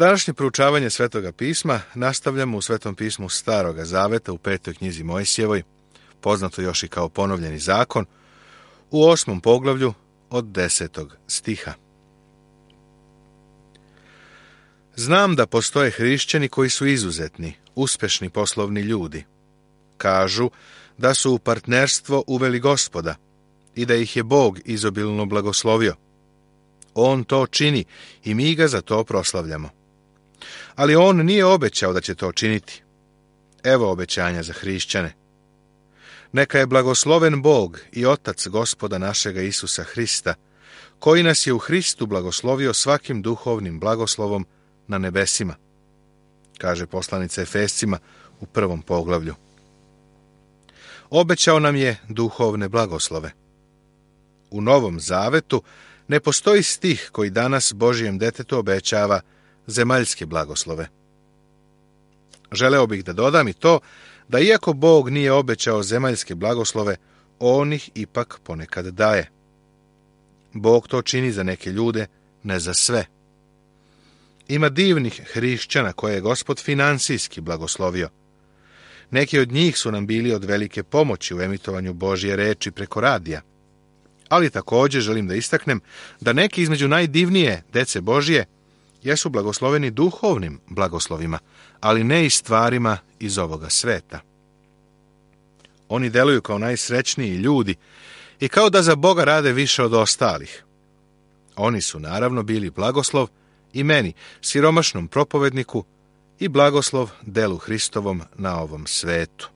Današnje proučavanje Svetoga pisma nastavljamo u Svetom pismu Staroga zaveta u 5. knjizi Mojsijevoj, poznato još i kao ponovljeni zakon, u 8. poglavlju od 10. stiha. Znam da postoje hrišćani koji su izuzetni, uspešni poslovni ljudi. Kažu da su u partnerstvo uveli Gospoda i da ih je Bog izobilno blagoslovio. On to čini i mi ga za to proslavljamo. Ali on nije obećao da će to činiti. Evo obećanja za hrišćane. Neka je blagosloven Bog i Otac Gospoda našega Isusa Hrista, koji nas je u Hristu blagoslovio svakim duhovnim blagoslovom na nebesima, kaže poslanica Efescima u 1. poglavlju. Obećao nam je duhovne blagoslove. U Novom Zavetu ne postoji stih koji danas Božijem detetu obećava zemaljske blagoslove. Želeo bih da dodam i to da iako Bog nije obećao zemaljske blagoslove, on ih ipak ponekad daje. Bog to čini za neke ljude, ne za sve. Ima divnih hrišćana koje je Gospod finansijski blagoslovio. Neki od njih su nam bili od velike pomoći u emitovanju Božje reči preko radija. Ali također želim da istaknem da neki između najdivnije dece Božje jesu blagosloveni duhovnim blagoslovima, ali ne i stvarima iz ovoga sveta. Oni deluju kao najsrećniji ljudi i kao da za Boga rade više od ostalih. Oni su naravno bili blagoslov i meni, siromašnom propovedniku, i blagoslov delu Hristovom na ovom svetu.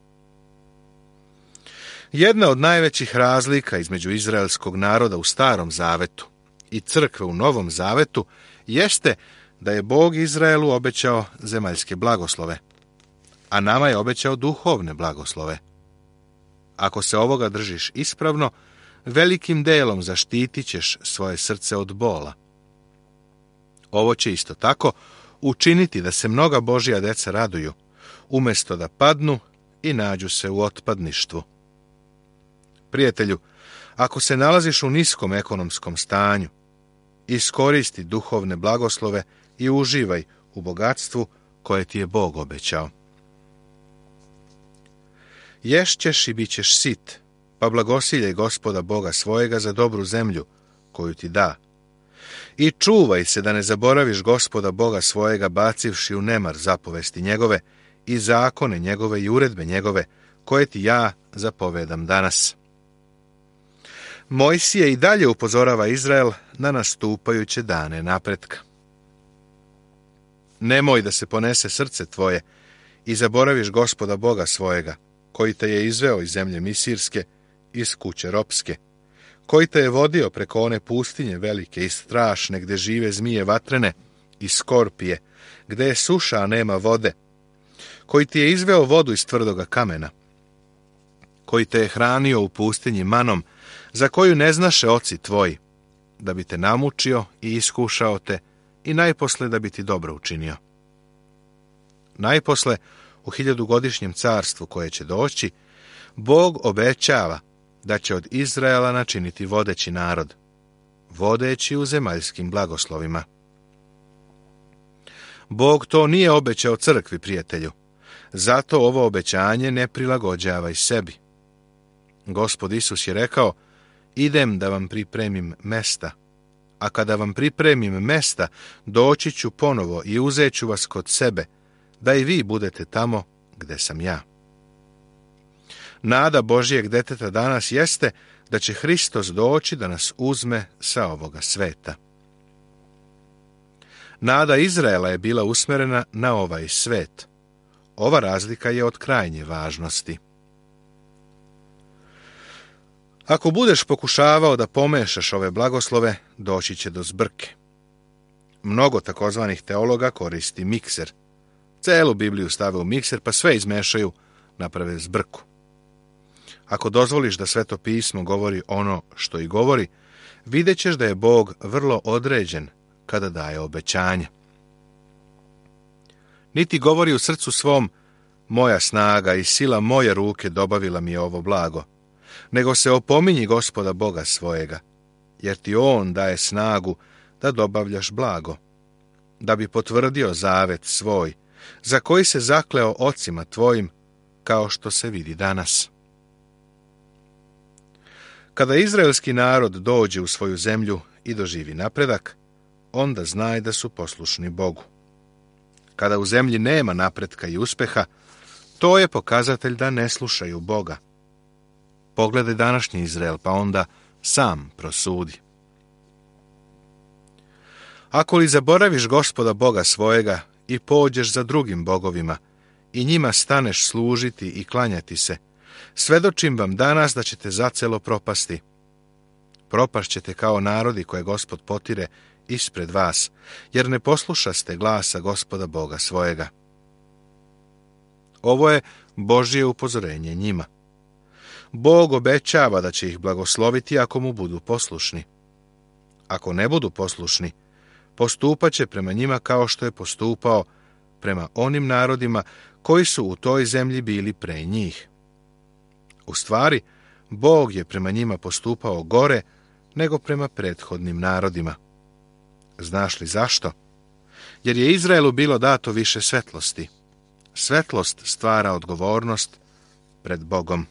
Jedna od najvećih razlika između izraelskog naroda u Starom Zavetu i crkve u Novom Zavetu jeste da je Bog Izraelu obećao zemaljske blagoslove, a nama je obećao duhovne blagoslove. Ako se ovoga držiš ispravno, velikim delom zaštitit ćeš svoje srce od bola. Ovo će isto tako učiniti da se mnoga Božja deca raduju, umjesto da padnu i nađu se u otpadništvu. Prijatelju, ako se nalaziš u niskom ekonomskom stanju, iskoristi duhovne blagoslove i uživaj u bogatstvu koje ti je Bog obećao. Ješćeš i bit ćeš sit, pa blagosiljaj Gospoda Boga svojega za dobru zemlju koju ti da. I čuvaj se da ne zaboraviš Gospoda Boga svojega bacivši u nemar zapovesti njegove i zakone njegove i uredbe njegove koje ti ja zapovedam danas. Mojsije i dalje upozorava Izrael na nastupajuće dane napretka. Nemoj da se ponese srce tvoje i zaboraviš Gospoda Boga svojega, koji te je izveo iz zemlje Misirske, iz kuće ropske, koji te je vodio preko one pustinje velike i strašne, gde žive zmije vatrene i skorpije, gde je suša, a nema vode, koji ti je izveo vodu iz tvrdoga kamena, koji te je hranio u pustinji manom, za koju ne znaše oci tvoji, da bi te namučio i iskušao te i najposle da bi ti dobro učinio. Najposle, u 1000-godišnjem carstvu koje će doći, Bog obećava da će od Izraela načiniti vodeći narod, vodeći u zemaljskim blagoslovima. Bog to nije obećao crkvi, prijatelju, zato ovo obećanje ne prilagođavaj sebi. Gospod Isus je rekao, idem da vam pripremim mesta, a kada vam pripremim mesta, doći ću ponovo i uzet ću vas kod sebe, da i vi budete tamo gde sam ja. Nada Božijeg deteta danas jeste da će Hristos doći da nas uzme sa ovoga sveta. Nada Izraela je bila usmerena na ovaj svet. Ova razlika je od krajnje važnosti. Ako budeš pokušavao da pomešaš ove blagoslove, doći će do zbrke. Mnogo takozvanih teologa koristi mikser. Celu Bibliju stave u mikser, pa sve izmešaju, naprave zbrku. Ako dozvoliš da Sveto pismo govori ono što i govori, vidjet ćeš da je Bog vrlo određen kada daje obećanje. Niti govori u srcu svom, moja snaga i sila moje ruke dobavila mi je ovo blago, nego se opominji Gospoda Boga svojega, jer ti on daje snagu da dobavljaš blago. da bi potvrdio zavet svoj, za koji se zakleo ocima tvojim, kao što se vidi danas. Kada izraelski narod dođe u svoju zemlju i doživi napredak, onda znaj da su poslušni Bogu. Kada u zemlji nema napretka i uspeha, to je pokazatelj da ne slušaju Boga. Pogledaj današnji Izrael, pa onda sam prosudi. Ako li zaboraviš Gospoda Boga svojega i pođeš za drugim bogovima i njima staneš služiti i klanjati se, svedočim vam danas da ćete zacelo propasti. Propašćete kao narodi koje Gospod potire ispred vas, jer ne poslušaste glasa Gospoda Boga svojega. Ovo je Božje upozorenje njima. Bog obećava da će ih blagosloviti ako mu budu poslušni. Ako ne budu poslušni, postupat će prema njima kao što je postupao prema onim narodima koji su u toj zemlji bili pre njih. U stvari, Bog je prema njima postupao gore nego prema prethodnim narodima. Znaš li zašto? Jer je Izraelu bilo dato više svetlosti. Svetlost stvara odgovornost pred Bogom.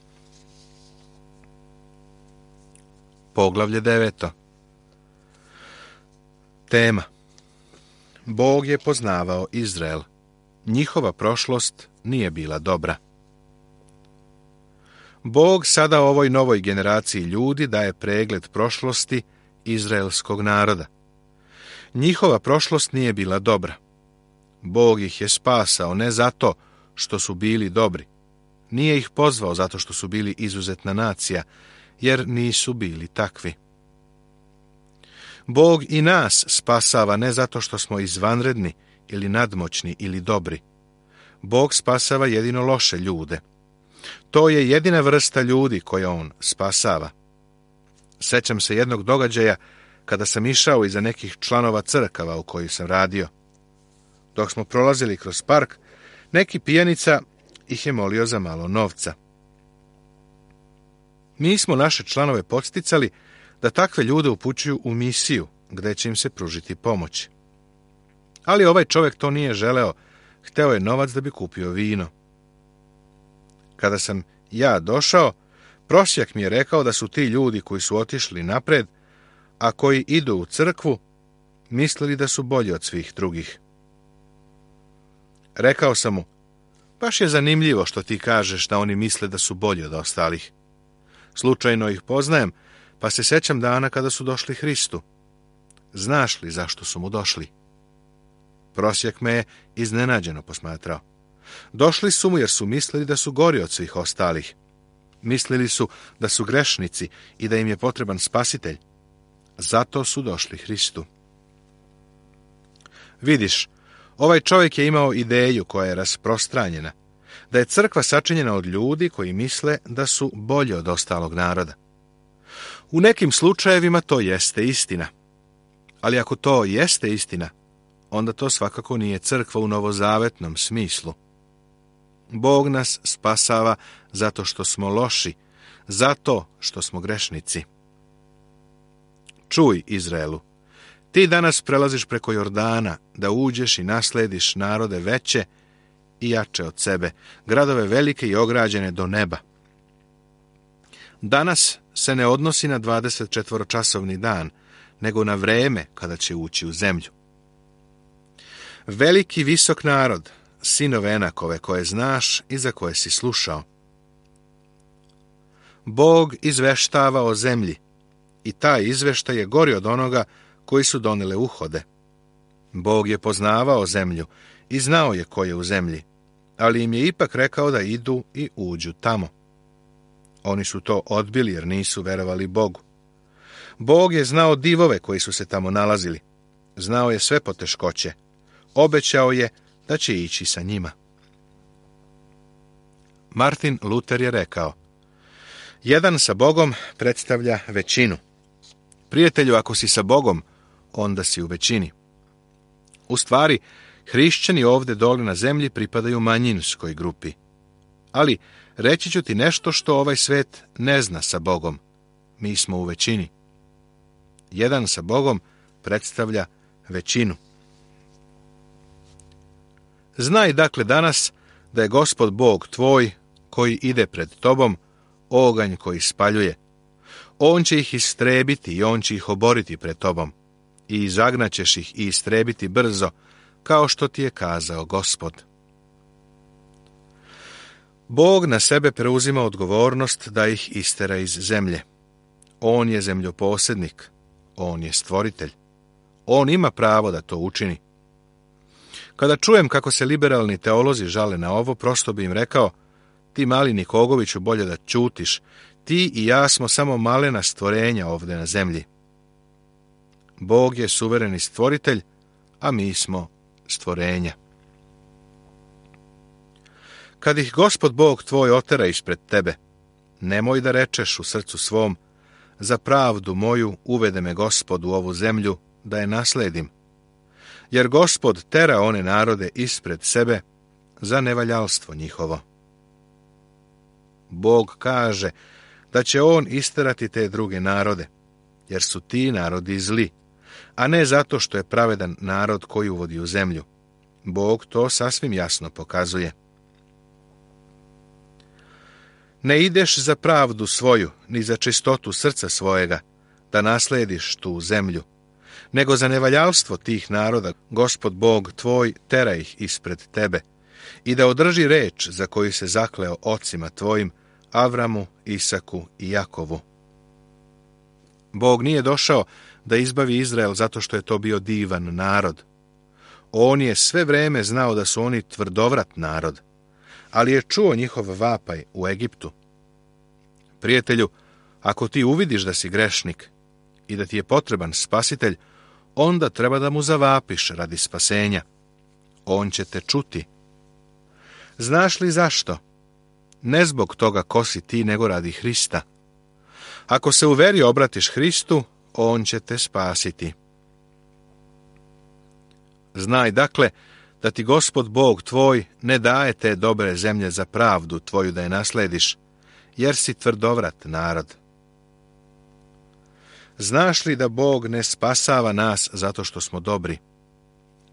Poglavlje 9. Tema. Bog je poznavao Izrael. Njihova prošlost nije bila dobra. Bog sada ovoj novoj generaciji ljudi daje pregled prošlosti izraelskog naroda. Njihova prošlost nije bila dobra. Bog ih je spasao ne zato što su bili dobri. Nije ih pozvao zato što su bili izuzetna nacija, jer nisu bili takvi. Bog i nas spasava ne zato što smo izvanredni ili nadmoćni ili dobri. Bog spasava jedino loše ljude. To je jedina vrsta ljudi koje on spasava. Sećam se jednog događaja kada sam išao iza nekih članova crkava u kojih sam radio. Dok smo prolazili kroz park, neki pijanica ih je molio za malo novca. Mi smo naše članove podsticali da takve ljude upućuju u misiju, gde će im se pružiti pomoć. Ali ovaj čovjek to nije želeo, hteo je novac da bi kupio vino. Kada sam ja došao, prosjak mi je rekao da su ti ljudi koji su otišli napred, a koji idu u crkvu, mislili da su bolji od svih drugih. Rekao sam mu, baš je zanimljivo što ti kažeš da oni misle da su bolji od ostalih. Slučajno ih poznajem, pa se sećam dana kada su došli Hristu. Znaš li zašto su mu došli? Prosjek me je iznenađeno posmatrao. Došli su mu jer su mislili da su gori od svih ostalih. Mislili su da su grešnici i da im je potreban spasitelj. Zato su došli Hristu. Vidiš, ovaj čovjek je imao ideju koja je rasprostranjena, da je crkva sačinjena od ljudi koji misle da su bolji od ostalog naroda. U nekim slučajevima to jeste istina. Ali ako to jeste istina, onda to svakako nije crkva u novozavetnom smislu. Bog nas spasava zato što smo loši, zato što smo grešnici. Čuj, Izraelu, ti danas prelaziš preko Jordana da uđeš i naslediš narode veće i jače od sebe, gradove velike i ograđene do neba. Danas se ne odnosi na 24-časovni dan, nego na vreme kada će ući u zemlju. Veliki visok narod, sinove Enakove koje znaš i za koje si slušao. Bog izveštava o zemlji i taj izveštaj je gori od onoga koji su donele uhode. Bog je poznavao zemlju i znao je ko je u zemlji, ali im je ipak rekao da idu i uđu tamo. Oni su to odbili jer nisu verovali Bogu. Bog je znao divove koji su se tamo nalazili. Znao je sve poteškoće. Obećao je da će ići sa njima. Martin Luther je rekao, jedan sa Bogom predstavlja većinu. Prijatelju, ako si sa Bogom, onda si u većini. U stvari, hrišćani ovdje dole na zemlji pripadaju manjinskoj grupi. Ali reći ću ti nešto što ovaj svet ne zna sa Bogom. Mi smo u većini. Jedan sa Bogom predstavlja većinu. Znaj dakle danas da je Gospod Bog tvoj, koji ide pred tobom, oganj koji spaljuje. On će ih istrebiti i on će ih oboriti pred tobom. I zagnaćeš ih i istrebiti brzo, kao što ti je kazao Gospod. Bog na sebe preuzima odgovornost da ih istera iz zemlje. On je zemljoposjednik, on je stvoritelj. On ima pravo da to učini. Kada čujem kako se liberalni teolozi žale na ovo, prosto bi im rekao: ti mali Nikogoviću, bolje da ćutiš, ti i ja smo samo malena stvorenja ovdje na zemlji. Bog je suvereni stvoritelj, a mi smo stvorenja. Kad ih Gospod Bog tvoj otera ispred tebe, nemoj da rečeš u srcu svom: za pravdu moju uvede me Gospod u ovu zemlju, da je nasledim. Jer Gospod tera one narode ispred sebe za nevaljalstvo njihovo. Bog kaže da će on isterati te druge narode, jer su ti narodi zli, a ne zato što je pravedan narod koji uvodi u zemlju. Bog to sasvim jasno pokazuje. Ne ideš za pravdu svoju, ni za čistotu srca svojega, da naslediš tu zemlju, nego za nevaljalstvo tih naroda Gospod Bog tvoj tera ih ispred tebe, i da održi reč za koju se zakleo ocima tvojim, Avramu, Isaku i Jakovu. Bog nije došao da izbavi Izrael zato što je to bio divan narod. On je sve vreme znao da su oni tvrdovrat narod, ali je čuo njihov vapaj u Egiptu. Prijatelju, ako ti uvidiš da si grešnik i da ti je potreban spasitelj, onda treba da mu zavapiš radi spasenja. On će te čuti. Znaš li zašto? Ne zbog toga ko si ti, nego radi Hrista. Ako se u veri obratiš Hristu, on će te spasiti. Znaj dakle da ti Gospod Bog tvoj ne daje te dobre zemlje za pravdu tvoju da je naslediš, jer si tvrdovrat narod. Znaš li da Bog ne spasava nas zato što smo dobri?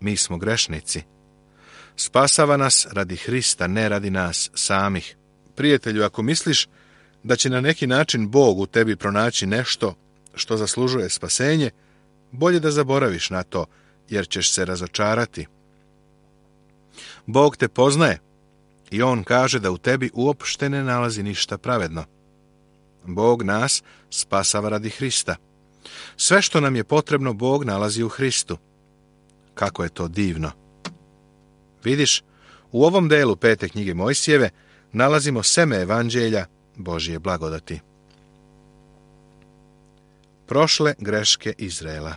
Mi smo grešnici. Spasava nas radi Hrista, ne radi nas samih. Prijatelju, ako misliš da će na neki način Bog u tebi pronaći nešto što zaslužuje spasenje, bolje da zaboraviš na to, jer ćeš se razočarati. Bog te poznaje i on kaže da u tebi uopšte ne nalazi ništa pravedno. Bog nas spasava radi Hrista. Sve što nam je potrebno Bog nalazi u Hristu. Kako je to divno! Vidiš, u ovom delu 5. knjige Mojsijeve nalazimo seme evanđelja Božje blagodati. Prošle greške Izraela.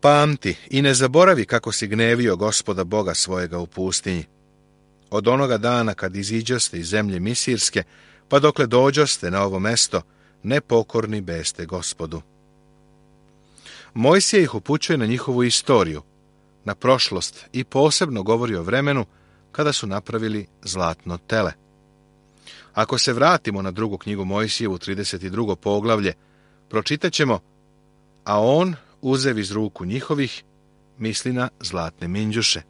Pamti i ne zaboravi kako si gnevio Gospoda Boga svojega u pustinji. Od onoga dana kad iziđoste iz zemlje Misirske, pa dokle dođoste na ovo mesto, nepokorni beste Gospodu. Mojsije ih upućuje na njihovu istoriju, na prošlost i posebno govori o vremenu kada su napravili zlatno tele. Ako se vratimo na 2. knjigu Mojsijevu, 32. poglavlje, pročitat ćemo: a on, uzev iz ruku njihovih, misli na zlatne minđuše.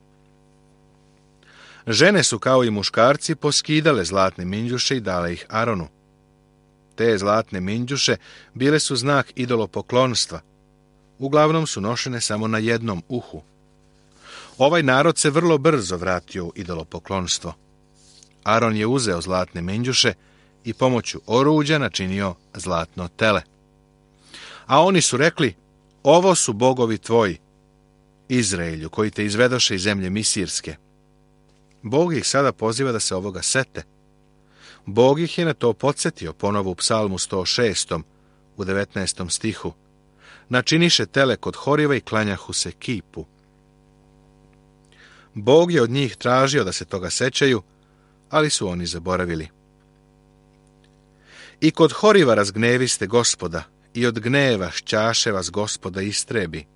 Žene su kao i muškarci poskidale zlatne minđuše i dale ih Aronu. Te zlatne minđuše bile su znak idolopoklonstva. Uglavnom su nošene samo na jednom uhu. Ovaj narod se vrlo brzo vratio u idolopoklonstvo. Aron je uzeo zlatne minđuše i pomoću oruđa načinio zlatno tele. A oni su rekli: ovo su bogovi tvoji, Izraelju, koji te izvedoše iz zemlje Misirske. Bog ih sada poziva da se ovoga sete. Bog ih je na to podsjetio ponovo u Psalmu 106. u 19. stihu. Načiniše tele kod Horiva i klanjahu se kipu. Bog je od njih tražio da se toga sećaju, ali su oni zaboravili. I kod Horiva razgneviste Gospoda, i od gneva šćaše vas Gospoda istrebi.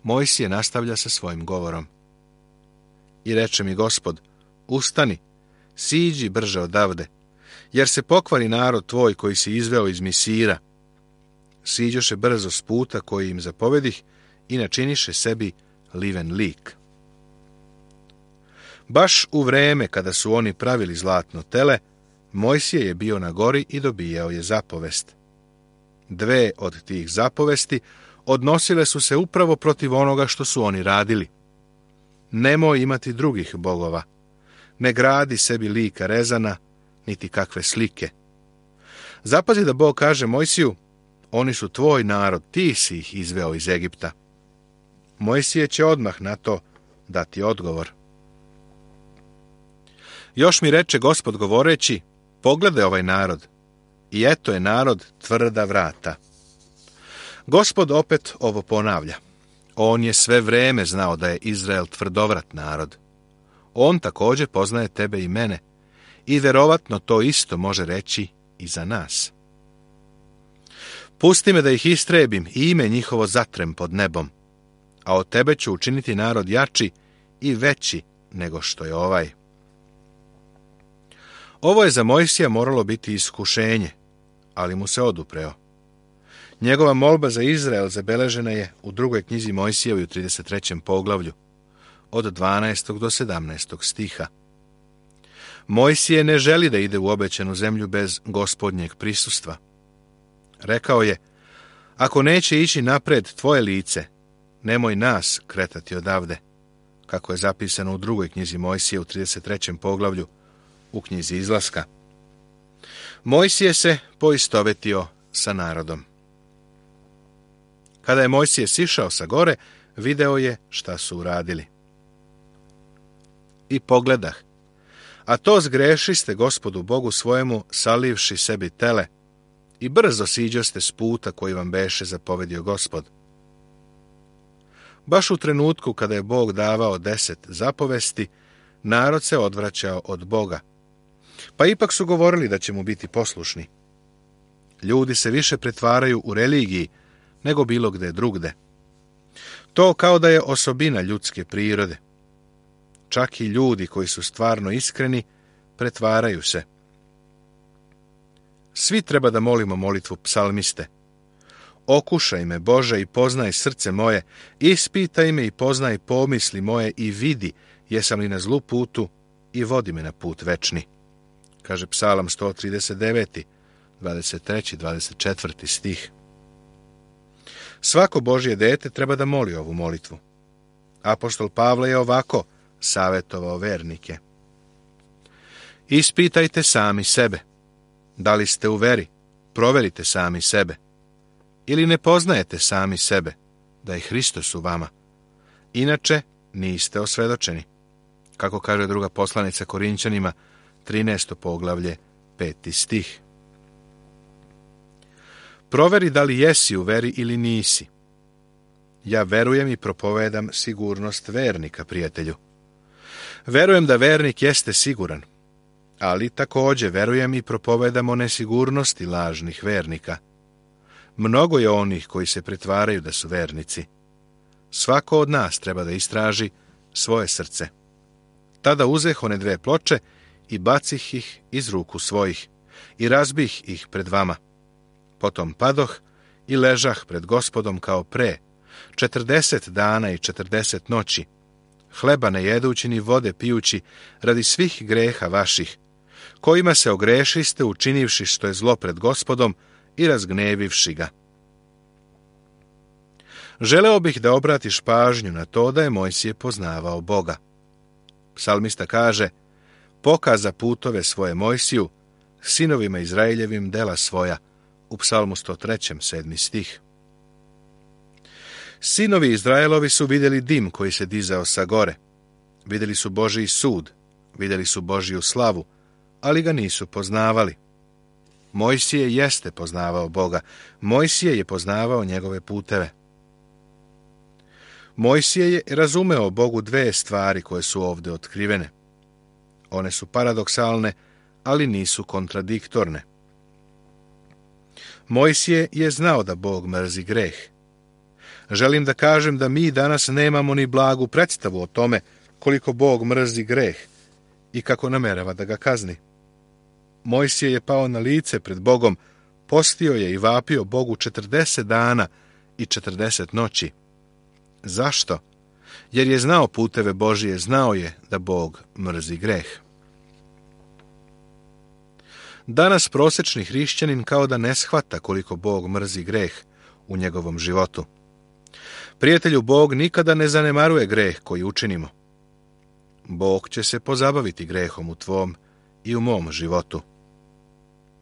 Mojsije nastavlja sa svojim govorom. I reče mi Gospod: ustani, siđi brže odavde, jer se pokvari narod tvoj koji si izveo iz Misira. Siđoše brzo s puta koji im zapovedih i načiniše sebi liven lik. Baš u vreme kada su oni pravili zlatno tele, Mojsije je bio na gori i dobijao je zapovest. 2 od tih zapovesti odnosile su se upravo protiv onoga što su oni radili. Nemoj imati drugih bogova, ne gradi sebi lika rezana, niti kakve slike. Zapazi da Bog kaže Mojsiju, oni su tvoj narod, ti si ih izveo iz Egipta. Mojsije će odmah na to dati odgovor. Još mi reče Gospod govoreći, pogledaj ovaj narod, i eto je narod tvrda vrata. Gospod opet ovo ponavlja. On je sve vreme znao da je Izrael tvrdovrat narod. On također poznaje tebe i mene i vjerovatno to isto može reći i za nas. Pusti me da ih istrebim i ime njihovo zatrem pod nebom, a od tebe ću učiniti narod jači i veći nego što je ovaj. Ovo je za Mojsija moralo biti iskušenje, ali mu se odupreo. Njegova molba za Izrael zabeležena je u 2. knjizi Mojsijevoj u 33. poglavlju, od 12. do 17. stiha. Mojsije ne želi da ide u obećanu zemlju bez Gospodnjeg prisustva. Rekao je, ako neće ići napred tvoje lice, nemoj nas kretati odavde, kako je zapisano u 2. knjizi Mojsije u 33. poglavlju, u knjizi Izlaska. Mojsije se poistovetio sa narodom. Kada je Mojsije sišao sa gore, video je šta su uradili. I pogledah, a to zgrešiste Gospodu Bogu svojemu, salivši sebi tele, i brzo siđoste s puta koji vam beše zapovedio Gospod. Baš u trenutku kada je Bog davao 10 zapovesti, narod se odvraćao od Boga. Pa ipak su govorili da će mu biti poslušni. Ljudi se više pretvaraju u religiji nego bilo gde drugde. To kao da je osobina ljudske prirode. Čak i ljudi koji su stvarno iskreni pretvaraju se. Svi treba da molimo molitvu psalmiste. Okušaj me, Bože, i poznaj srce moje, ispitaj me i poznaj pomisli moje i vidi jesam li na zlu putu i vodi me na put večni. Kaže Psalam 139, 23, 24 stih. Svako Božje dete treba da moli ovu molitvu. Apostol Pavle je ovako savjetovao vernike. Ispitajte sami sebe. Da li ste u veri? Proverite sami sebe. Ili ne poznajete sami sebe, da je Hristos u vama. Inače, niste osvedočeni. Kako kaže druga poslanica Korinćanima, 13. poglavlje, 5. stih. Proveri da li jesi u veri ili nisi. Ja verujem i propovedam sigurnost vernika, prijatelju. Verujem da vernik jeste siguran, ali također verujem i propovedam o nesigurnosti lažnih vernika. Mnogo je onih koji se pretvaraju da su vernici. Svako od nas treba da istraži svoje srce. Tada uzeh one 2 ploče i bacih ih iz ruku svojih i razbih ih pred vama. Potom padoh i ležah pred Gospodom kao pre, 40 dana i 40 noći, hleba ne jedući ni vode pijući radi svih greha vaših, kojima se ogrešiste učinivši što je zlo pred Gospodom i razgnevivši ga. Želeo bih da obratiš pažnju na to da je Mojsije poznavao Boga. Psalmista kaže, pokaza putove svoje Mojsiju, sinovima Izraeljevim dela svoja, u Psalmu 103. 7. stih. Sinovi Izraelovi su vidjeli dim koji se dizao sa gore. Vidjeli su Božji sud, vidjeli su Božju slavu, ali ga nisu poznavali. Mojsije jeste poznavao Boga. Mojsije je poznavao njegove puteve. Mojsije je razumeo Bogu 2 stvari koje su ovdje otkrivene. One su paradoksalne, ali nisu kontradiktorne. Mojsije je znao da Bog mrzi greh. Želim da kažem da mi danas nemamo ni blagu predstavu o tome koliko Bog mrzi greh i kako namerava da ga kazni. Mojsije je pao na lice pred Bogom, postio je i vapio Bogu 40 dana i 40 noći. Zašto? Jer je znao puteve Božije, znao je da Bog mrzi greh. Danas prosječni hrišćanin kao da ne shvata koliko Bog mrzi greh u njegovom životu. Prijatelju, Bog nikada ne zanemaruje greh koji učinimo. Bog će se pozabaviti grehom u tvom i u mom životu.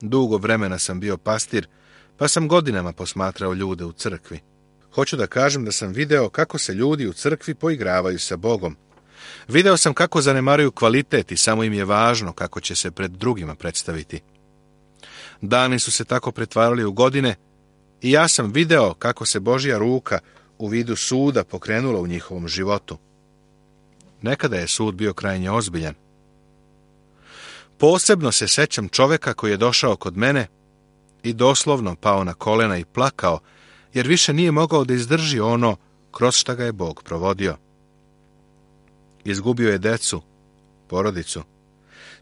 Dugo vremena sam bio pastir, pa sam godinama posmatrao ljude u crkvi. Hoću da kažem da sam video kako se ljudi u crkvi poigravaju sa Bogom. Video sam kako zanemaruju kvalitet i samo im je važno kako će se pred drugima predstaviti. Dani su se tako pretvarali u godine i ja sam video kako se Božja ruka u vidu suda pokrenula u njihovom životu. Nekada je sud bio krajnje ozbiljan. Posebno se sećam čoveka koji je došao kod mene i doslovno pao na kolena i plakao, jer više nije mogao da izdrži ono kroz šta ga je Bog provodio. Izgubio je decu, porodicu.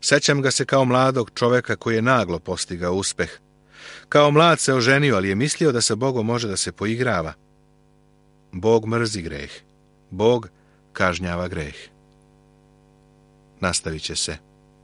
Sećam ga se kao mladog čoveka koji je naglo postigao uspeh. Kao mlad se oženio, ali je mislio da sa Bogom može da se poigrava. Bog mrzi greh. Bog kažnjava greh. Nastavit će se.